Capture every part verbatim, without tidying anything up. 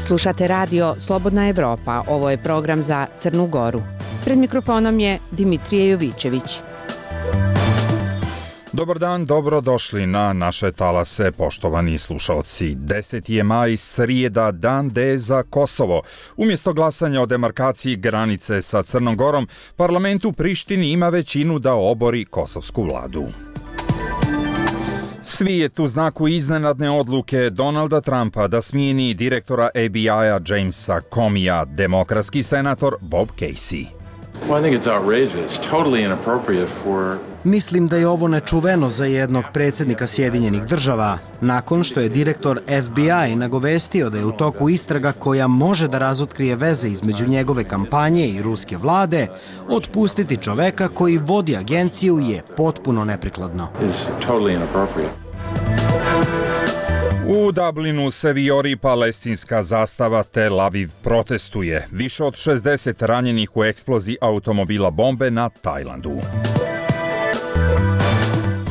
Slušate radio Slobodna Evropa, ovo je program za Crnu Goru. Pred mikrofonom je Dimitrije Jovićević. Dobar dan, dobro došli na naše talase, poštovani slušalci. deseti je maj, srijeda, dan D za Kosovo. Umjesto glasanja o demarkaciji granice sa Crnom Gorom, parlament u Prištini ima većinu da obori kosovsku vladu. Svijet u znaku iznenadne odluke Donalda Trumpa da smijeni direktora F B I-a Jamesa Comeyja, demokratski senator Bob Casey. Well, I think it's outrageous, totally inappropriate for... Mislim da je ovo nečuveno za jednog predsjednika Sjedinjenih država, nakon što je direktor F B I nagovestio da je u toku istraga koja može da razotkrije veze između njegove kampanje i ruske vlade, otpustiti čoveka koji vodi agenciju je potpuno neprikladno. U Dublinu se vijori palestinska zastava, Tel Aviv protestuje. Više od šezdeset ranjenih u eksploziji automobila bombe na Tajlandu.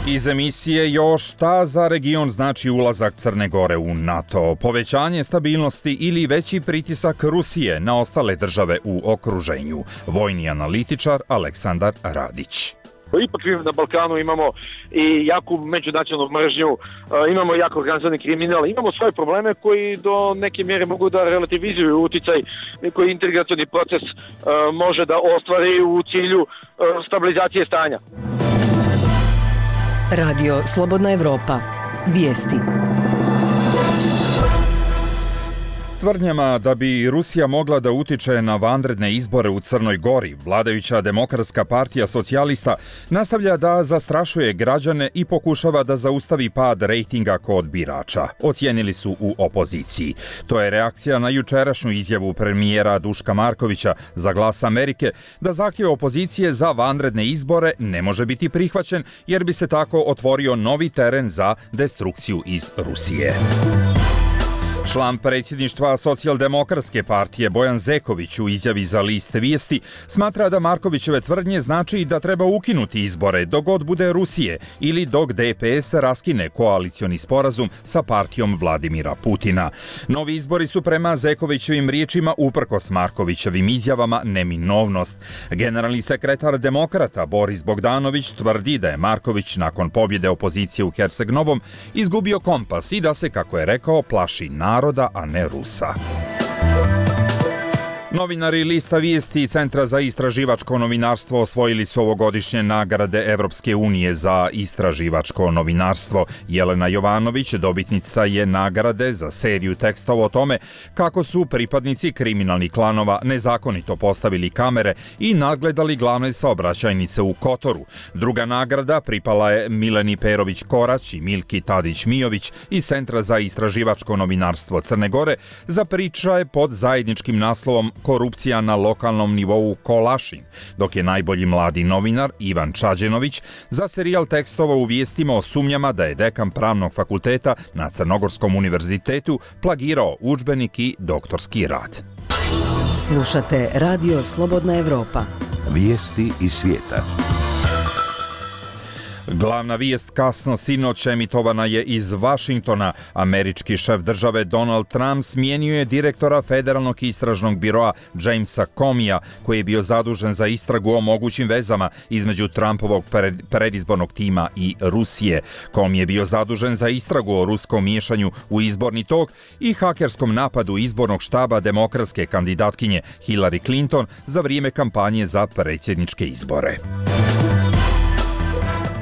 Iz emisije još šta za region znači ulazak Crne Gore u NATO, povećanje stabilnosti ili veći pritisak Rusije na ostale države u okruženju. Vojni analitičar Aleksandar Radić. Ipak na Balkanu imamo i jaku međunacionalnu mržnju, imamo jako organizovani kriminal, imamo svoje probleme koji do neke mjere mogu da relativizuju uticaj koji integracioni proces može da ostvari u cilju stabilizacije stanja. Radio Slobodna Evropa. Vijesti. Tvrdnjama da bi Rusija mogla da utiče na vanredne izbore u Crnoj Gori, vladajuća Demokratska partija socijalista nastavlja da zastrašuje građane i pokušava da zaustavi pad rejtinga kod birača, ocijenili su u opoziciji. To je reakcija na jučerašnju izjavu premijera Duška Markovića za Glas Amerike da zahtjev opozicije za vanredne izbore ne može biti prihvaćen jer bi se tako otvorio novi teren za destrukciju iz Rusije. Član predsjedništva Socijaldemokratske partije Bojan Zeković u izjavi za List Vijesti smatra da Markovićeve tvrdnje znači da treba ukinuti izbore dok god bude Rusije ili dok D P S raskine koalicioni sporazum sa partijom Vladimira Putina. Novi izbori su prema Zekovićevim riječima uprkos Markovićevim izjavama neminovnost. Generalni sekretar Demokrata Boris Bogdanović tvrdi da je Marković nakon pobjede opozicije u Herceg Novom izgubio kompas i da se, kako je rekao, plaši naroda, a ne Rusa. Novinari Lista Vijesti i Centra za istraživačko novinarstvo osvojili su ovogodišnje nagrade Evropske unije za istraživačko novinarstvo. Jelena Jovanović dobitnica je nagrade za seriju tekstova o tome kako su pripadnici kriminalnih klanova nezakonito postavili kamere i nadgledali glavne saobraćajnice u Kotoru. Druga nagrada pripala je Mileni Perović-Korać i Milki Tadić-Mijović iz Centra za istraživačko novinarstvo Crne Gore za pričaje pod zajedničkim naslovom Korupcija na lokalnom nivou Kolašin, dok je najbolji mladi novinar Ivan Čađenović za serijal tekstova u vijestima o sumnjama da je dekan pravnog fakulteta na Crnogorskom univerzitetu plagirao udžbenik i doktorski rad. Slušate Radio Slobodna Evropa. Vijesti iz svijeta. Glavna vijest kasno sinoć emitovana je iz Vašingtona. Američki šef države Donald Trump smijenio je direktora Federalnog istražnog biroa Jamesa Comeyja, koji je bio zadužen za istragu o mogućim vezama između Trumpovog predizbornog tima i Rusije. Comey je bio zadužen za istragu o ruskom miješanju u izborni tok i hakerskom napadu izbornog štaba demokratske kandidatkinje Hillary Clinton za vrijeme kampanje za predsjedničke izbore.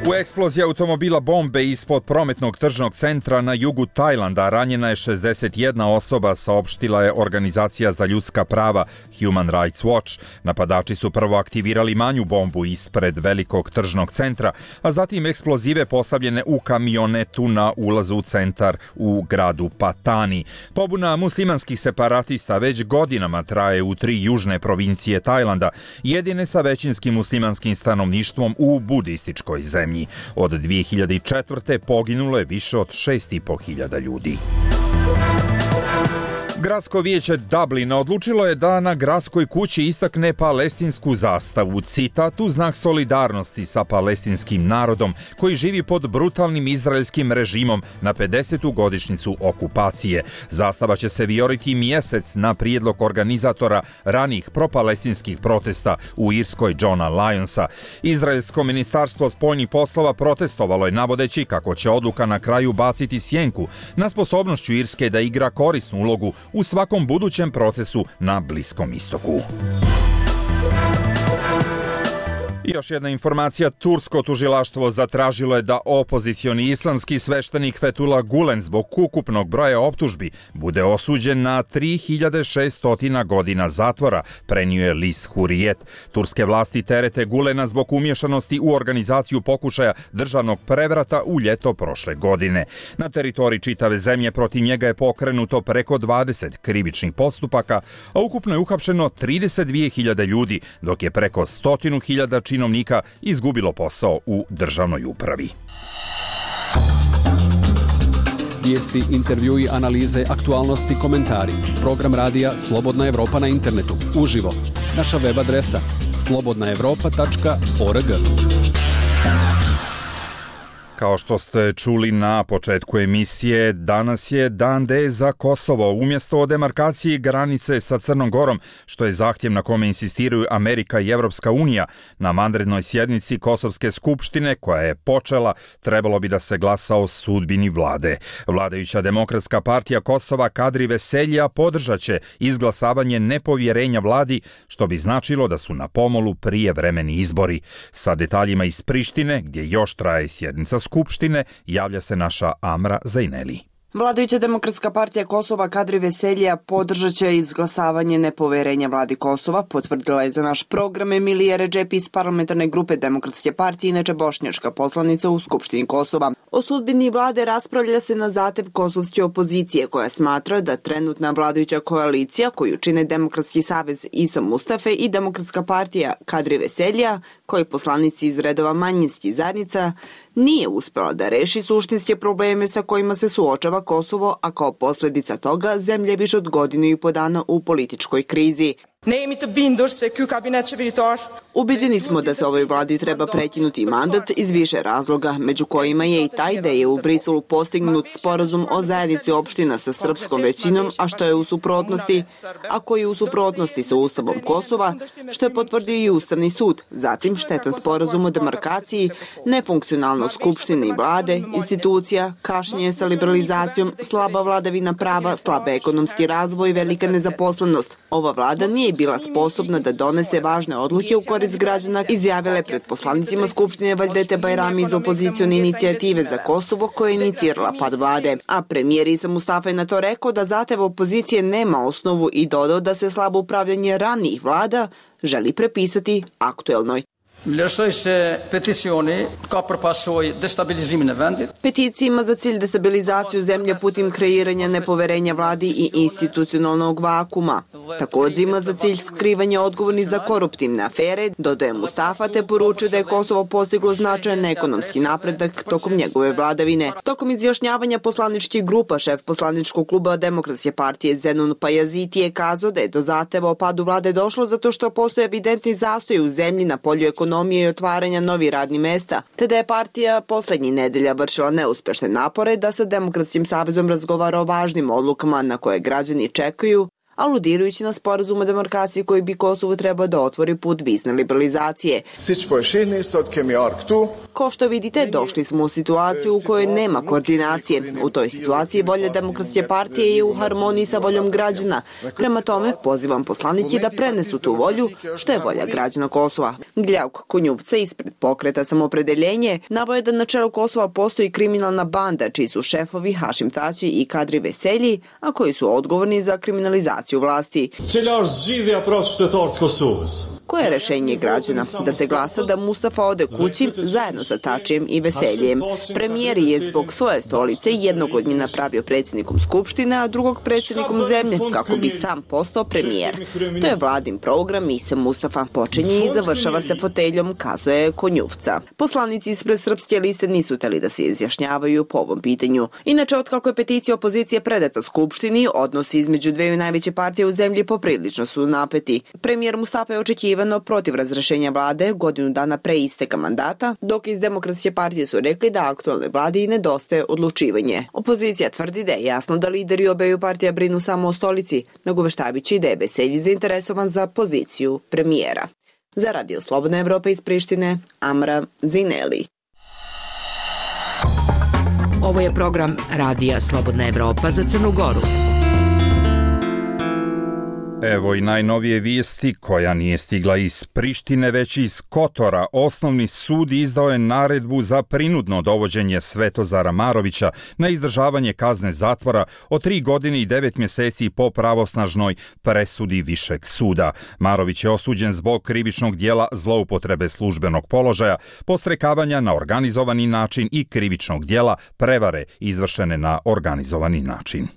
U eksploziji automobila bombe ispod prometnog tržnog centra na jugu Tajlanda ranjena je šezdeset jedna osoba, saopštila je organizacija za ljudska prava Human Rights Watch. Napadači su prvo aktivirali manju bombu ispred velikog tržnog centra, a zatim eksplozive postavljene u kamionetu na ulazu u centar u gradu Patani. Pobuna muslimanskih separatista već godinama traje u tri južne provincije Tajlanda, jedine sa većinskim muslimanskim stanovništvom u budističkoj zemlji. Od dvije hiljade četvrte poginulo je više od šest i po hiljada ljudi. Gradsko vijeće Dublina odlučilo je da na gradskoj kući istakne palestinsku zastavu, citat, u znak solidarnosti sa palestinskim narodom koji živi pod brutalnim izraelskim režimom na pedesetu godišnjicu okupacije. Zastava će se vijoriti mjesec na prijedlog organizatora ranih propalestinskih protesta u Irskoj Johna Lyonsa. Izraelsko ministarstvo spoljnih poslova protestovalo je navodeći kako će odluka na kraju baciti sjenku na sposobnošću Irske da igra korisnu ulogu u svakom budućem procesu na Bliskom istoku. I još jedna informacija, tursko tužilaštvo zatražilo je da opozicioni islamski sveštenik Fethullah Gulen zbog ukupnog broja optužbi bude osuđen na tri hiljade šesto godina zatvora, prenio je list Hurriyet. Turske vlasti terete Gulena zbog umješanosti u organizaciju pokušaja državnog prevrata u ljeto prošle godine. Na teritoriji čitave zemlje protiv njega je pokrenuto preko dvadeset krivičnih postupaka, a ukupno je uhapšeno trideset dvije hiljade ljudi, dok je preko stotinu hiljada činovnika izgubilo posao u državnoj upravi. Vijesti, intervjui, analize, aktualnosti, komentari. Program radija Slobodna Evropa na internetu. Uživo. Naša web adresa slobodna evropa tačka org. Kao što ste čuli na početku emisije, danas je Dan D za Kosovo. Umjesto o demarkaciji granice sa Crnom Gorom, što je zahtjev na kome insistiraju Amerika i Evropska unija, na vanrednoj sjednici Kosovske skupštine, koja je počela, trebalo bi da se glasa o sudbini vlade. Vladajuća Demokratska partija Kosova Kadri Veselja podržat će izglasavanje nepovjerenja vladi, što bi značilo da su na pomolu prijevremeni izbori. Sa detaljima iz Prištine, gdje još traje sjednica Skupštine, javlja se naša Amra Zajneli. Vladajuća Demokratska partija Kosova Kadri Veselja podržat će izglasavanje nepoverenja vladi Kosova, potvrdila je za naš program Emilija Redžepi iz parlamentarne grupe Demokratske partije, inače bošnjačka poslanica u Skupštini Kosova. O sudbini vlade raspravlja se na zahtev kosovske opozicije, koja smatra da trenutna vladajuća koalicija, koju čine Demokratski savez Isa Mustafe i Demokratska partija Kadri Veselja, koji poslanici iz redova manjinskih zajednica, nije uspela da reši suštinske probleme sa kojima se suočava Kosovo, a kao posljedica toga zemlja je više od godinu i po dana u političkoj krizi. Ubeđeni smo da se ovoj vladi treba prekinuti mandat iz više razloga, među kojima je i taj da je u Briselu postignut sporazum o zajednici opština sa srpskom većinom, a što je u suprotnosti, a koji je u suprotnosti sa Ustavom Kosova, što je potvrdio i Ustavni sud. Zatim štetan sporazum o demarkaciji, nefunkcionalnost skupštine i vlade, institucija, kašnjenje sa liberalizacijom, slaba vladavina prava, slaba ekonomski razvoj, velika nezaposlenost. Ova vlada nije bila sposobna da donese važne odluke u korist građana, izjavile pred poslanicima Skupštine Vajdete Bajrami iz opozicione inicijative za Kosovo, koja je inicirala pad vlade. A premijer Isa Mustafa je na to rekao da zahtev opozicije nema osnovu i dodao da se slabo upravljanje ranijih vlada želi prepisati aktuelnoj. Vlerësoj se peticioni ka për pasojë destabilizimin e vendit. Peticija ima za cilj destabilizaciju zemlje putem kreiranja nepoverenja vladi i institucionalnog vakuma. Također ima za cilj skrivanje odgovornih za koruptivne afere, dodaje Mustafa, te poručuje da je Kosovo postiglo značajan ekonomski napredak tokom njegove vladavine. Tokom izjašnjavanja poslaničkih grupa, šef poslaničkog kluba Demokratske partije Zenun Pajaziti je kazao da je do zahteva o padu vlade došlo zato što postoje evidentni zastoj u zemlji na polju ekonomije i otvaranja novih radnih mesta, te da je partija poslednjih nedelja vršila neuspešne napore da sa Demokratskim savezom razgovara o važnim odlukama na koje građani čekaju, aludirajući na sporazum o demarkaciji koji bi Kosovo trebao da otvori put vizne liberalizacije. Kao što vidite, došli smo u situaciju u kojoj nema koordinacije. U toj situaciji volja Demokratske partije je u harmoniji sa voljom građana. Prema tome, pozivam poslanike da prenesu tu volju, što je volja građana Kosova. Gljavk Kunjuvca ispred pokreta Samopredeljenje navoje da na čelu Kosova postoji kriminalna banda, čiji su šefovi Hašim Tači i Kadri Veselji, a koji su odgovorni za kriminalizaciju vlasti. koje je rešenje građana? Da se glasa da Mustafa ode kući zajedno sa Tačijem i Veseljem. Premijer je zbog svoje stolice jednog od njih napravio predsjednikom Skupštine, a drugog predsjednikom zemlje, kako bi sam postao premijer. To je vladin program i se Mustafa počinje i završava se foteljom, kazuje Konjuvca. Poslanici ispred Srpske liste nisu teli da se izjašnjavaju po ovom pitanju. Inače, otkako je peticija opozicije predata Skupštini, odnosi između dveju najveće partije u zemlji poprilično su napeti. Premijer Mustafa je očekivano protiv razrešenja vlade godinu dana pre isteka mandata, dok iz Demokratske partije su rekli da aktualnoj vladi nedostaje odlučivanje. Opozicija tvrdi da je jasno da lideri obeju partija brinu samo o stolici, nagoveštajući da je Veselji zainteresovan za poziciju premijera. Za Radio Slobodna Evropa iz Prištine, Amra Zineli. Ovo je program Radija Slobodna Evropa za Crnu Goru. Evo i najnovije vijesti koja nije stigla iz Prištine, već iz Kotora. Osnovni sud izdao je naredbu za prinudno dovođenje Svetozara Marovića na izdržavanje kazne zatvora od tri godine i devet mjeseci po pravosnažnoj presudi Višeg suda. Marović je osuđen zbog krivičnog dijela zloupotrebe službenog položaja, podstrekavanja na organizovani način i krivičnog dijela prevare izvršene na organizovani način.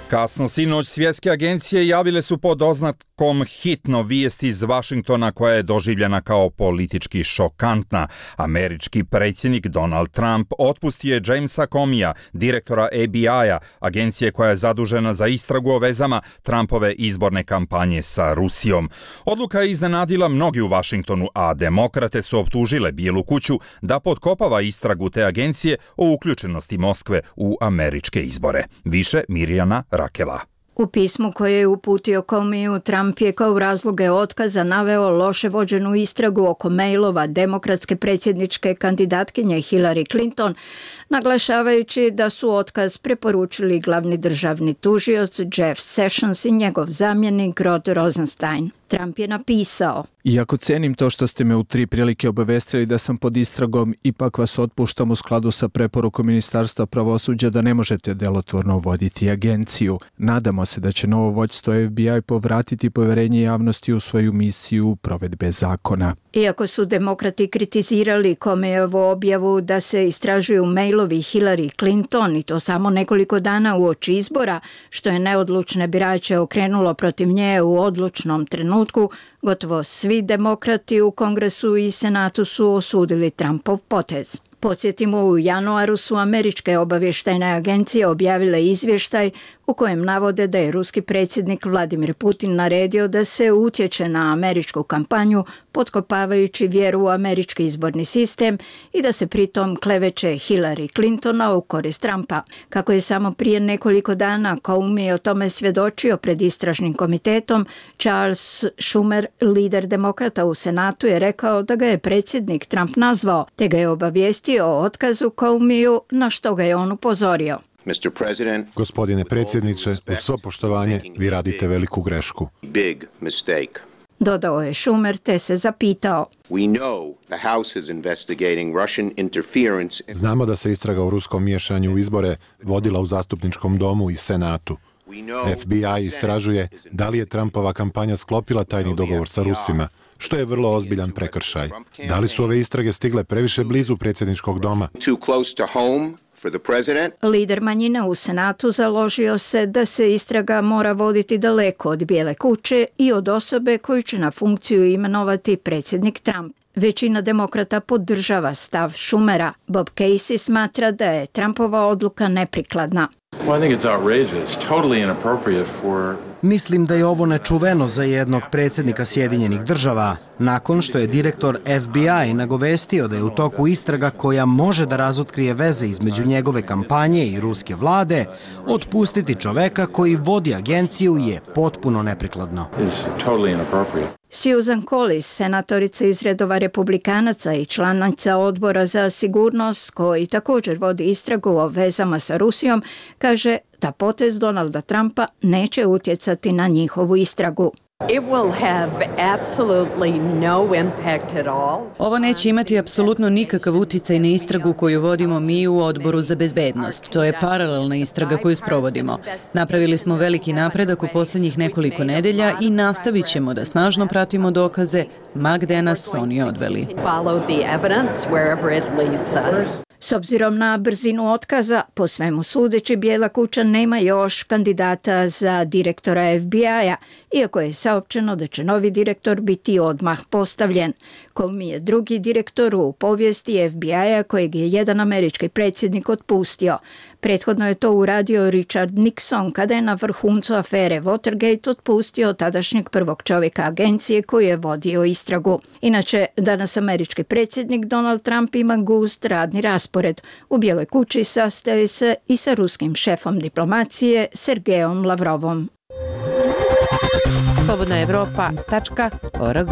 Kasno sinoć svjetske agencije javile su pod oznakom hitno vijest iz Vašingtona koja je doživljena kao politički šokantna. Američki predsjednik Donald Trump otpustio je Jamesa Comeyja, direktora F B I-a, agencije koja je zadužena za istragu o vezama Trumpove izborne kampanje sa Rusijom. Odluka je iznenadila mnogi u Vašingtonu, a demokrate su optužile Bijelu kuću da potkopava istragu te agencije o uključenosti Moskve u američke izbore. Više Mirjana Rakela. U pismu koje je uputio Comeyju, Trump je kao razloge otkaza naveo loše vođenu istragu oko mailova demokratske predsjedničke kandidatkinje Hillary Clinton, naglašavajući da su otkaz preporučili glavni državni tužioc Jeff Sessions i njegov zamjenik Rod Rosenstein. Trump je napisao: Iako cenim to što ste me u tri prilike obavestili da sam pod istragom, ipak vas otpuštam u skladu sa preporukom Ministarstva pravosuđa da ne možete delotvorno voditi agenciju. Nadamo se da će novo vođstvo F B I povratiti poverenje javnosti u svoju misiju provedbe zakona. Iako su demokrati kritizirali Comeyjevu objavu da se istražuju mailovi Hillary Clinton i to samo nekoliko dana uoči izbora, što je neodlučne birače okrenulo protiv nje u odlučnom trenutku, gotovo svi demokrati u Kongresu i Senatu su osudili Trumpov potez. Podsjetimo, u januaru su američke obavještajne agencije objavile izvještaj u kojem navode da je ruski predsjednik Vladimir Putin naredio da se utječe na američku kampanju, potkopavajući vjeru u američki izborni sistem i da se pritom kleveće Hillary Clintona u korist Trumpa. Kako je samo prije nekoliko dana Comey o tome svjedočio pred istražnim komitetom, Charles Schumer, lider demokrata u Senatu, je rekao da ga je predsjednik Trump nazvao, te ga je obavijestio o otkazu Comeyju, na što ga je on upozorio. Gospodine predsjedniče, uz svo poštovanje, vi radite veliku grešku. Dodao je Schumer, te se zapitao. Znamo da se istraga o ruskom miješanju u izbore vodila u zastupničkom domu i Senatu. F B I istražuje da li je Trumpova kampanja sklopila tajni dogovor sa Rusima, što je vrlo ozbiljan prekršaj. Da li su ove istrage stigle previše blizu predsjedničkog doma? Lider manjine u Senatu založio se da se istraga mora voditi daleko od Bijele kuće i od osobe koju će na funkciju imenovati predsjednik Trump. Većina demokrata podržava stav Schumera. Bob Casey smatra da je Trumpova odluka neprikladna. Mislim da je ovo nečuveno za jednog predsjednika Sjedinjenih država, nakon što je direktor F B I nagovestio da je u toku istraga koja može da razotkrije veze između njegove kampanje i ruske vlade, otpustiti čoveka koji vodi agenciju je potpuno neprikladno. Susan Collins, senatorica iz redova republikanaca i članica odbora za sigurnost, koji također vodi istragu o vezama sa Rusijom, kaže da potez Donalda Trumpa neće utjecati na njihovu istragu. Ovo neće imati apsolutno nikakav uticaj na istragu koju vodimo mi u Odboru za bezbednost. To je paralelna istraga koju sprovodimo. Napravili smo veliki napredak u posljednjih nekoliko nedelja i nastavit ćemo da snažno pratimo dokaze ma gde nas oni odveli. S obzirom na brzinu otkaza, po svemu sudeći, Bijela kuća nema još kandidata za direktora F B I-a, iako je saopćeno da će novi direktor biti odmah postavljen. Comey je drugi direktor u povijesti F B I-a kojeg je jedan američki predsjednik otpustio. Prethodno je to uradio Richard Nixon kada je na vrhuncu afere Watergate otpustio tadašnjeg prvog čovjeka agencije koji je vodio istragu. Inače, danas američki predsjednik Donald Trump ima gust radni raspored. U Bijeloj kući sastaje se i sa ruskim šefom diplomacije Sergejom Lavrovom. slobodna evropa tačka org.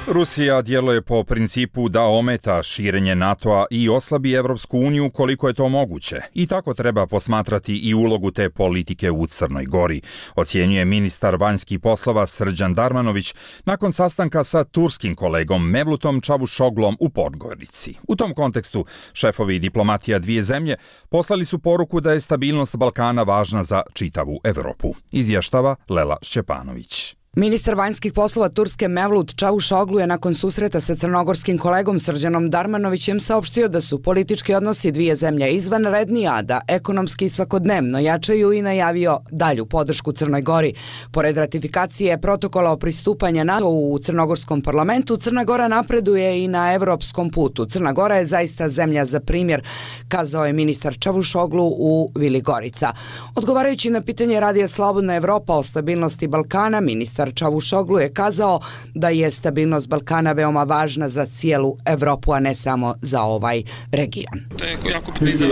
Rusija djeluje po principu da ometa širenje NATO-a i oslabi Evropsku uniju koliko je to moguće. I tako treba posmatrati i ulogu te politike u Crnoj Gori, ocjenjuje ministar vanjskih poslova Srđan Darmanović nakon sastanka sa turskim kolegom Mevlutom Čavušoglom u Podgorici. U tom kontekstu šefovi diplomatija dvije zemlje poslali su poruku da je stabilnost Balkana važna za čitavu Evropu, izvještava Lela Šćepanović. Ministar vanjskih poslova Turske Mevlut Čavuşoglu je nakon susreta sa crnogorskim kolegom Srđanom Darmanovićem saopštio da su politički odnosi dvije zemlje izvanredni, a da ekonomski svakodnevno jačaju i najavio dalju podršku Crnoj Gori. Pored ratifikacije protokola o pristupanju NATO u crnogorskom parlamentu, Crna Gora napreduje i na evropskom putu. Crna Gora je zaista zemlja za primjer, kazao je ministar Čavuşoglu u Vili Gorica. Odgovarajući na pitanje Radija Slobodna Evropa o stabilnosti Balkana, ministar Čavuşoglu je kazao da je stabilnost Balkana veoma važna za cijelu Evropu, a ne samo za ovaj region. To je jako bitno i za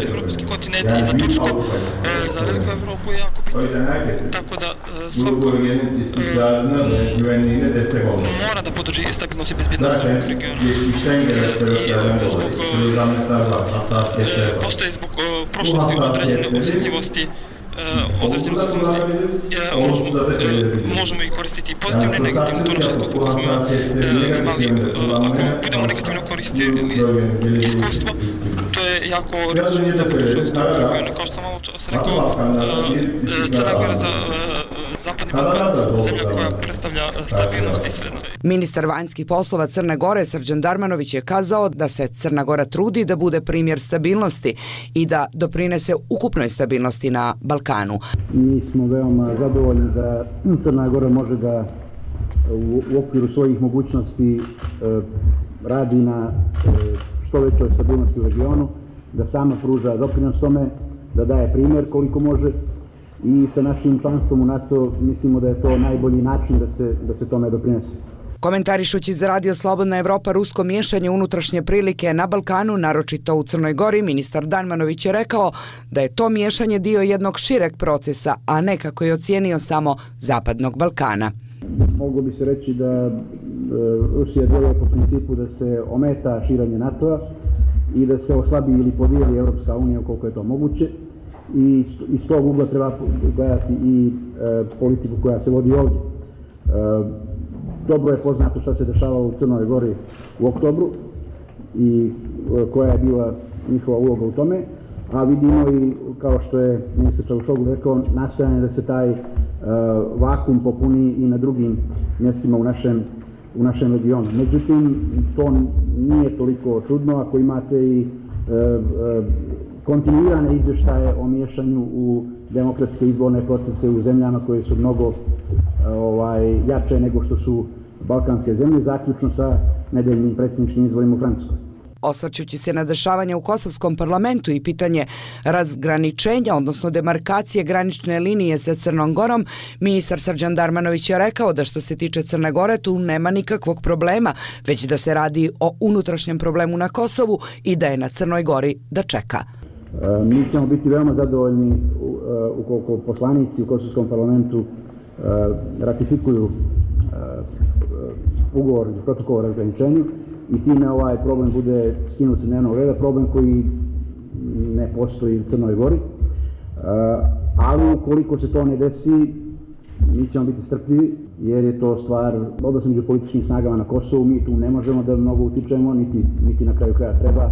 evropski kontinent i za Tursku, za veliku Evropu je jako bitno. Tako da svako mora da podrži stabilnost i bezbjednost u regionu. I zbog postoje zbog prošlosti određene osjetljivosti određene osjetljivosti možemo i koristiti pozitivne i negativne, to naše iskustvo koje smo imali, ako budemo negativno koristili iskustvo, to je jako različno za budućnost ovog regiona. Kao što sam malo čas rekao, Crna Gora za Zapadni Balkan, zemlja koja predstavlja stabilnost i sredno. Ministar vanjskih poslova Crne Gore Srđan Darmanović je kazao da se Crna Gora trudi da bude primjer stabilnosti i da doprinese ukupnoj stabilnosti na Balkanu. Mi smo veoma zadovoljni da Crna Gora može da u, u okviru svojih mogućnosti e, radi na e, što većoj stabilnosti u regionu, da sama pruža doprinos tome, da daje primjer koliko može i sa našim članstvom u NATO mislimo da je to najbolji način da se, da se tome doprinese. Komentarišući za Radio Slobodna Evropa rusko miješanje unutrašnje prilike na Balkanu, naročito u Crnoj Gori, ministar Darmanović je rekao da je to miješanje dio jednog šireg procesa, a ne kako je ocijenio samo Zapadnog Balkana. Moglo bi se reći da e, Rusija djeluje po principu da se ometa širenje NATO-a i da se oslabi ili podijeli Evropska unija koliko je to moguće. I iz tog ugla treba gledati i e, politiku koja se vodi ovdje. E, dobro je poznato što se dešavalo u Crnoj Gori u oktobru i e, koja je bila njihova uloga u tome, a vidimo i, kao što je ministar Čavuşoglu rekao, nastojanje da se taj e, vakum popuni i na drugim mjestima u našem, u našem regionu. Međutim, to nije toliko čudno ako imate i e, e, kontinuirane izvještaje o miješanju u demokratske izborne procese u zemljama koje su mnogo ovaj, jače nego što su balkanske zemlje, zaključno sa nedeljnim predsjedničkim izborima u Francuskoj. Osvrćući se na dešavanja u Kosovskom parlamentu i pitanje razgraničenja, odnosno demarkacije granične linije sa Crnom Gorom, ministar Srđan Darmanović je rekao da što se tiče Crne Gore tu nema nikakvog problema, već da se radi o unutrašnjem problemu na Kosovu i da je na Crnoj Gori da čeka. Mi ćemo biti veoma zadovoljni ukoliko poslanici u Kosovskom parlamentu ratifikuju ugovor za protokol o razgraničenju i time ovaj problem bude skinut sa dnevnog reda, problem koji ne postoji u Crnoj Gori. Ali ukoliko se to ne desi, Mi ćemo biti strpljivi jer je to stvar odnosa među političkim snagama na Kosovu. Mi tu ne možemo da mnogo utičemo, niti, niti na kraju kraja treba. E,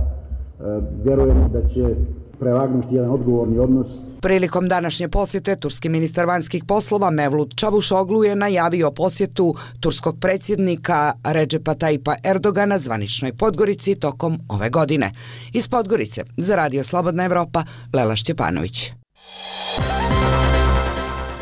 vjerujemo da će prevagnuti jedan odgovorni odnos. Prilikom današnje posjete, turski ministar vanjskih poslova Mevlut Čavuşoglu je najavio posjetu turskog predsjednika Recepa Tayyipa Erdogana zvaničnoj Podgorici tokom ove godine. Iz Podgorice, za Radio Slobodna Evropa, Lela Šćepanović.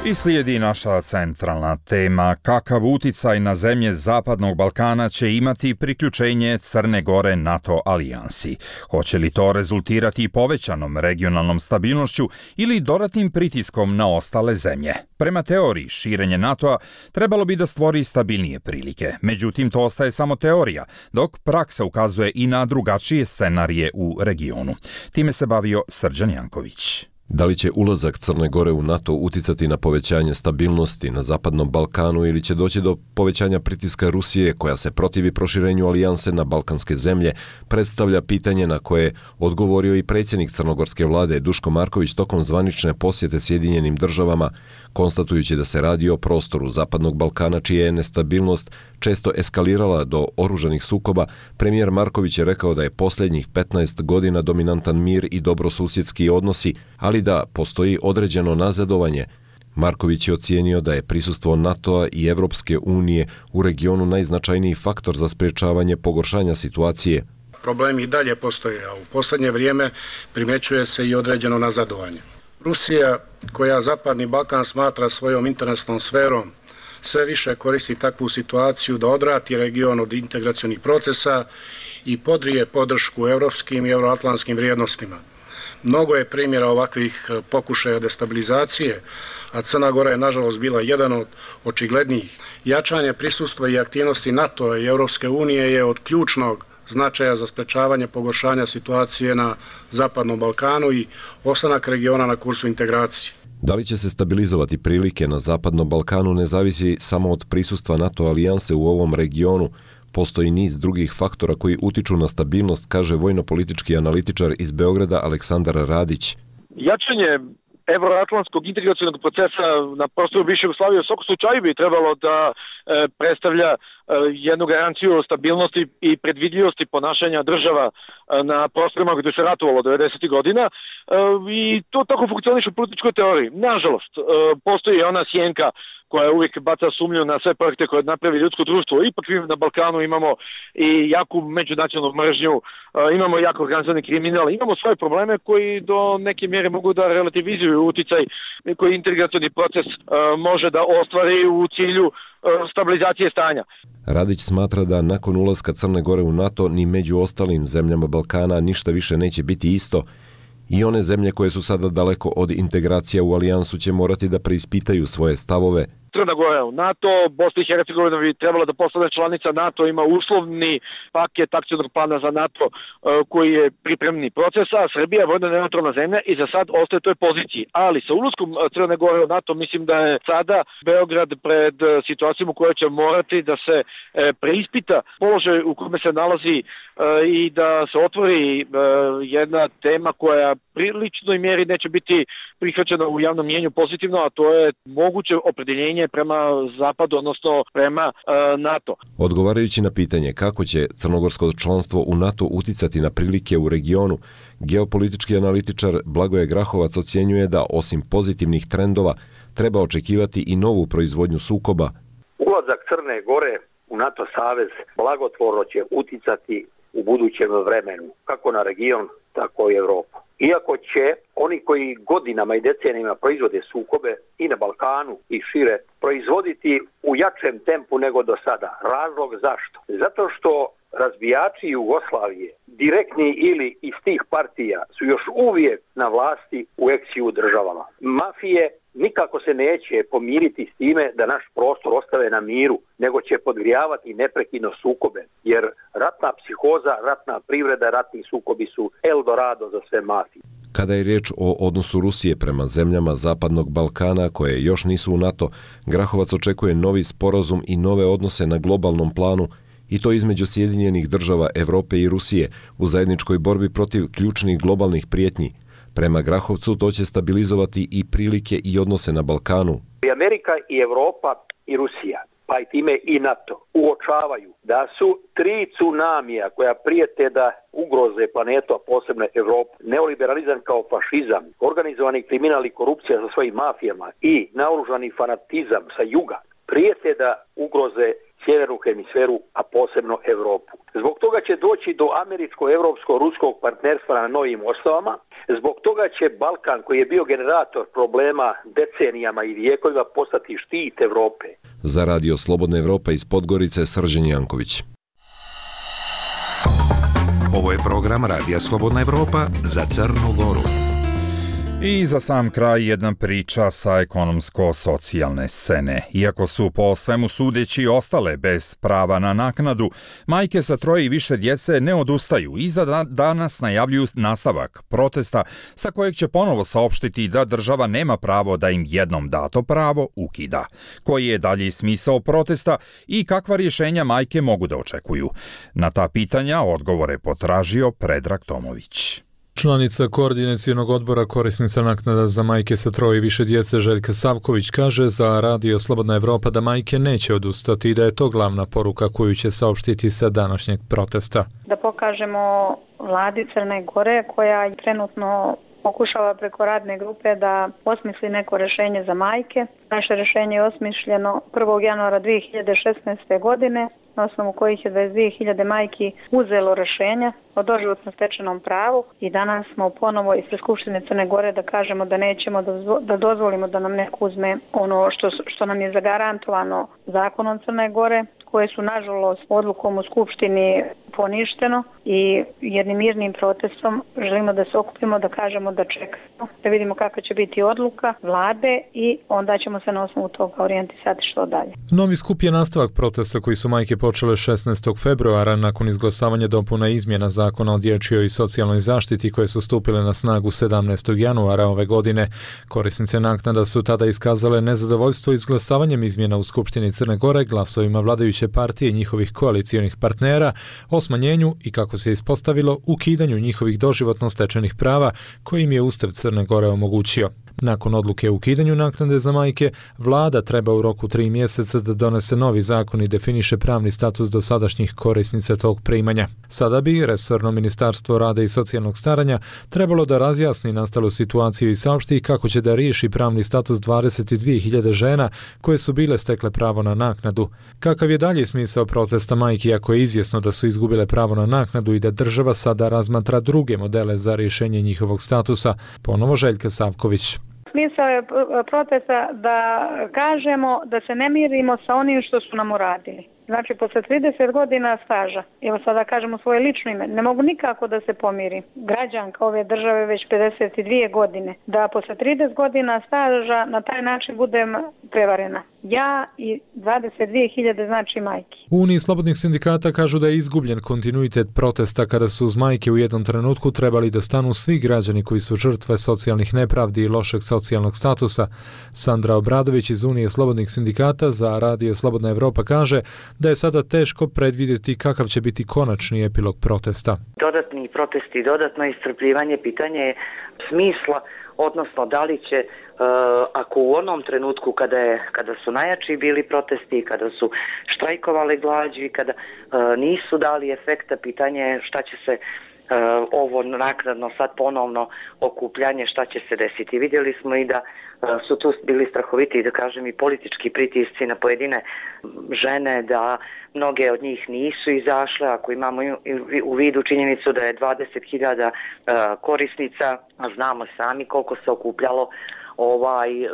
I slijedi naša centralna tema. Kakav uticaj na zemlje Zapadnog Balkana će imati priključenje Crne Gore NATO alijansi? Hoće li to rezultirati povećanom regionalnom stabilnošću ili dodatnim pritiskom na ostale zemlje? Prema teoriji, širenje NATO-a trebalo bi da stvori stabilnije prilike. Međutim, to ostaje samo teorija, dok praksa ukazuje i na drugačije scenarije u regionu. Time se bavio Srđan Janković. Da li će ulazak Crne Gore u NATO uticati na povećanje stabilnosti na Zapadnom Balkanu ili će doći do povećanja pritiska Rusije koja se protivi proširenju alijanse na balkanske zemlje, predstavlja pitanje na koje odgovorio i predsjednik crnogorske vlade Duško Marković tokom zvanične posjete Sjedinjenim državama, konstatujući da se radi o prostoru Zapadnog Balkana čija je nestabilnost često eskalirala do oružanih sukoba. Premijer Marković je rekao da je posljednjih petnaest godina dominantan mir i dobrosusjedski odnosi, ali da postoji određeno nazadovanje. Marković je ocijenio da je prisustvo NATO-a i Evropske unije u regionu najznačajniji faktor za sprječavanje pogoršanja situacije. Problemi i dalje postoje, a u posljednje vrijeme primjećuje se i određeno nazadovanje. Rusija, koja Zapadni Balkan smatra svojom interesnom sferom, sve više koristi takvu situaciju da odvrati region od integracionih procesa i podrije podršku evropskim i euroatlantskim vrijednostima. Mnogo je primjera ovakvih pokušaja destabilizacije, a Crna Gora je nažalost bila jedan od očiglednijih. Jačanje prisustva i aktivnosti NATO i Europske unije je od ključnog značaja za sprečavanje pogoršanja situacije na Zapadnom Balkanu i ostanak regiona na kursu integracije. Da li će se stabilizovati prilike na Zapadnom Balkanu ne zavisi samo od prisustva NATO alijanse u ovom regionu. Postoji niz drugih faktora koji utiču na stabilnost, kaže vojno-politički analitičar iz Beograda Aleksandar Radić. Jačanje evroatlantskog integracionog procesa na prostoru bivše Jugoslavije u svakom slučaju bi trebalo da e, predstavlja e, jednu garanciju stabilnosti i predvidljivosti ponašanja država e, na prostorima gdje se ratovalo devedesetih godina e, i to tako funkcioniše u političkoj teoriji. Nažalost, e, postoji ona sjenka koja uvijek baca sumnju na sve projekte koje napravi ljudsko društvo. Ipak na Balkanu imamo i jaku međunacionalnu mržnju, imamo jako organizovani kriminal, imamo svoje probleme koji do neke mjere mogu da relativizuju uticaj koji integracioni proces može da ostvari u cilju stabilizacije stanja. Radić smatra da nakon ulaska Crne Gore u NATO ni među ostalim zemljama Balkana ništa više neće biti isto. I one zemlje koje su sada daleko od integracija u alijansu će morati da preispitaju svoje stavove. Crna Gora u NATO, Bosna i Hercegovina bi trebala da postane članica NATO, ima uslovni paket akcionog plana za NATO koji je pripremni proces, a Srbija je vojno neutralna zemlja i za sad ostaje toj poziciji. Ali sa ulaskom Crne Gore u NATO mislim da je sada Beograd pred situacijom u kojoj će morati da se preispita položaj u kome se nalazi i da se otvori jedna tema koja priličnoj mjeri neće biti prihvaćena u javnom mjenju pozitivno, a to je moguće opredeljenje prema zapadu, odnosno prema e, NATO. Odgovarajući na pitanje kako će crnogorsko članstvo u NATO uticati na prilike u regionu, geopolitički analitičar Blagoje Grahovac ocjenjuje da osim pozitivnih trendova treba očekivati i novu proizvodnju sukoba. Ulazak Crne Gore u NATO savez blagotvorno će uticati u budućem vremenu, kako na region, tako i Evropu. Iako će oni koji godinama i decenijama proizvode sukobe i na Balkanu i šire proizvoditi u jačem tempu nego do sada. Razlog zašto? Zato što razbijači Jugoslavije, direktni ili iz tih partija, su još uvijek na vlasti u ex-ju državama. Mafije nikako se neće pomiriti s time da naš prostor ostave na miru, nego će podgrijavati neprekidno sukobe, jer ratna psihoza, ratna privreda, ratni sukobi su Eldorado za sve mafije. Kada je riječ o odnosu Rusije prema zemljama Zapadnog Balkana koje još nisu u NATO, Grahovac očekuje novi sporazum i nove odnose na globalnom planu, i to između Sjedinjenih država Evrope i Rusije u zajedničkoj borbi protiv ključnih globalnih prijetnji. Prema Grahovcu to će stabilizovati i prilike i odnose na Balkanu. I Amerika i Evropa i Rusija, pa i time i NATO, uočavaju da su tri tsunamija koja prijete da ugroze planetu, a posebno Evropu, neoliberalizam kao fašizam, organizovani kriminal i korupcija sa svojim mafijama i naoružani fanatizam sa juga, prijete da ugroze sjevernu hemisferu, a posebno Evropu. Zbog toga će doći do američko-evropsko-ruskog partnerstva na novim osnovama. Zbog toga će Balkan, koji je bio generator problema decenijama i vijekovima, postati štit Evrope. Za Radio Slobodna Evropa iz Podgorice, Srđan Janković. Ovo je program Radija Slobodna Evropa za Crnu Goru. I za sam kraj jedna priča sa ekonomsko-socijalne scene. Iako su po svemu sudeći ostale bez prava na naknadu, majke sa troje i više djece ne odustaju i za danas najavljuju nastavak protesta sa kojeg će ponovo saopštiti da država nema pravo da im jednom dato pravo ukida. Koji je dalje smisao protesta i kakva rješenja majke mogu da očekuju? Na ta pitanja odgovore potražio Predrag Tomović. Članica koordinacionog odbora korisnica naknada za majke sa troje i više djece Željka Savković kaže za Radio Slobodna Evropa da majke neće odustati i da je to glavna poruka koju će saopštiti sa današnjeg protesta. Da pokažemo vladi Crne Gore koja trenutno pokušava preko radne grupe da osmisli neko rješenje za majke. Naše rješenje je osmišljeno prvog januara dvije hiljade šesnaeste. godine, na osnovu kojih je dvadeset dvije hiljade majki uzelo rješenja o doživotno stečenom pravu i danas smo ponovo ispred Skupštine Crne Gore da kažemo da nećemo da dozvolimo da nam neko uzme ono što, što nam je zagarantovano zakonom Crne Gore, koje su nažalost odlukom u Skupštini poništeno i jednim mirnim protestom želimo da se okupimo, da kažemo da čekamo, da vidimo kakva će biti odluka vlade i onda ćemo se na osnovu toga orijentisati što dalje. Novi skup je nastavak protesta koji su majke počele šesnaestog februara nakon izglasavanja dopuna izmjena zakona o dječjoj i socijalnoj zaštiti koje su stupile na snagu sedamnaestog januara ove godine. Korisnice naknada su tada iskazale nezadovoljstvo izglasavanjem izmjena u Skupštini Crne Gore glasovima vladajuće partije i njihovih koalicijonih partnera o smanjenju i, kako se ispostavilo, ukidanju njihovih doživotno stečenih prava koji im je Ustav Crne Gore omogućio. Nakon odluke o ukidanju naknade za majke, vlada treba u roku tri mjeseca da donese novi zakon i definiše pravni status dosadašnjih korisnica tog primanja. Sada bi resorno Ministarstvo rada i socijalnog staranja trebalo da razjasni nastalu situaciju i saopšti kako će da riješi pravni status dvadeset dvije hiljade žena koje su bile stekle pravo na naknadu. Kakav je dalje smisao protesta majki ako je izvjesno da su izgubile pravo na naknadu i da država sada razmatra druge modele za rješenje njihovog statusa? Ponovo Željka Savković. Smisao je protesta da kažemo da se ne mirimo sa onim što su nam uradili. Znači, posle trideset godina staža, evo sada kažemo svoje lično ime, ne mogu nikako da se pomirim. Građanka ove države već pedeset dvije godine, da posle trideset godina staža na taj način budem prevarena. Ja i dvadeset dvije hiljade znači majki. U Uniji slobodnih sindikata kažu da je izgubljen kontinuitet protesta kada su uz majke u jednom trenutku trebali da stanu svi građani koji su žrtve socijalnih nepravdi i lošeg socijalnog statusa. Sandra Obradović iz Unije slobodnih sindikata za Radio Slobodna Evropa kaže da je sada teško predvidjeti kakav će biti konačni epilog protesta. Dodatni protesti, dodatno iscrpljivanje, pitanje je smisla, odnosno da li će, uh, ako u onom trenutku kada, je, kada su najjači bili protesti, kada su štrajkovali glađi, kada uh, nisu dali efekta, pitanje je šta će se Uh, ovo naknadno sad ponovno okupljanje, šta će se desiti. Vidjeli smo i da uh, su tu bili strahoviti, da kažem, i politički pritisci na pojedine žene, da mnoge od njih nisu izašle, ako imamo u vidu činjenicu da je dvadeset hiljada uh, korisnica, a znamo sami koliko se okupljalo ovaj uh,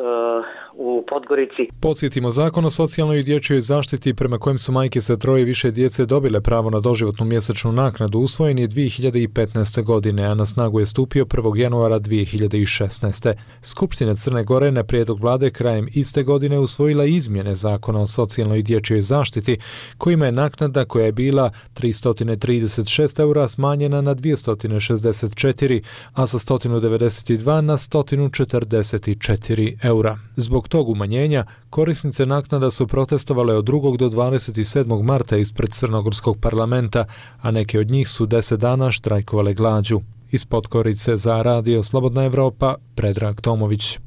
u Podgorici. Podsjetimo, Zakon o socijalnoj i dječjoj zaštiti prema kojem su majke sa troje i više djece dobile pravo na doživotnu mjesečnu naknadu usvojen je dvije hiljade petnaeste. godine, a na snagu je stupio prvog januara dvije hiljade šesnaeste. Skupština Crne Gore na prijedlog vlade krajem iste godine usvojila izmjene Zakona o socijalnoj i dječjoj zaštiti kojima je naknada koja je bila tristo trideset šest eura smanjena na dvjesto šezdeset četiri, a sa sto devedeset dva na sto četrdeset četiri eura. Zbog tog umanjenja korisnice naknada su protestovale od drugog do dvadeset sedmog marta ispred Crnogorskog parlamenta, a neke od njih su deset dana štrajkovale glađu. Iz Podgorice za Radio Slobodna Evropa, Predrag Tomović.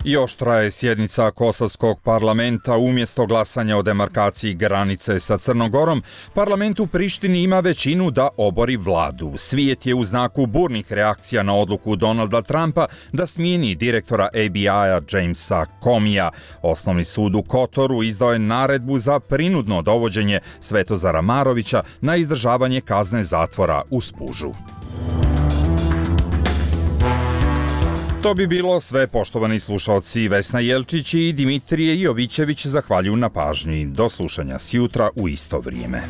Još traje sjednica Kosovskog parlamenta. Umjesto glasanja o demarkaciji granice sa Crnogorom, parlament u Prištini ima većinu da obori vladu. Svijet je u znaku burnih reakcija na odluku Donalda Trumpa da smijeni direktora A B I-a Jamesa Comija. Osnovni sud u Kotoru izdao je naredbu za prinudno dovođenje Svetozara Marovića na izdržavanje kazne zatvora u Spužu. To bi bilo sve, poštovani slušaoci. Vesna Jelčić i Dimitrije Jovićević zahvaljuju na pažnji. Do slušanja sjutra u isto vrijeme.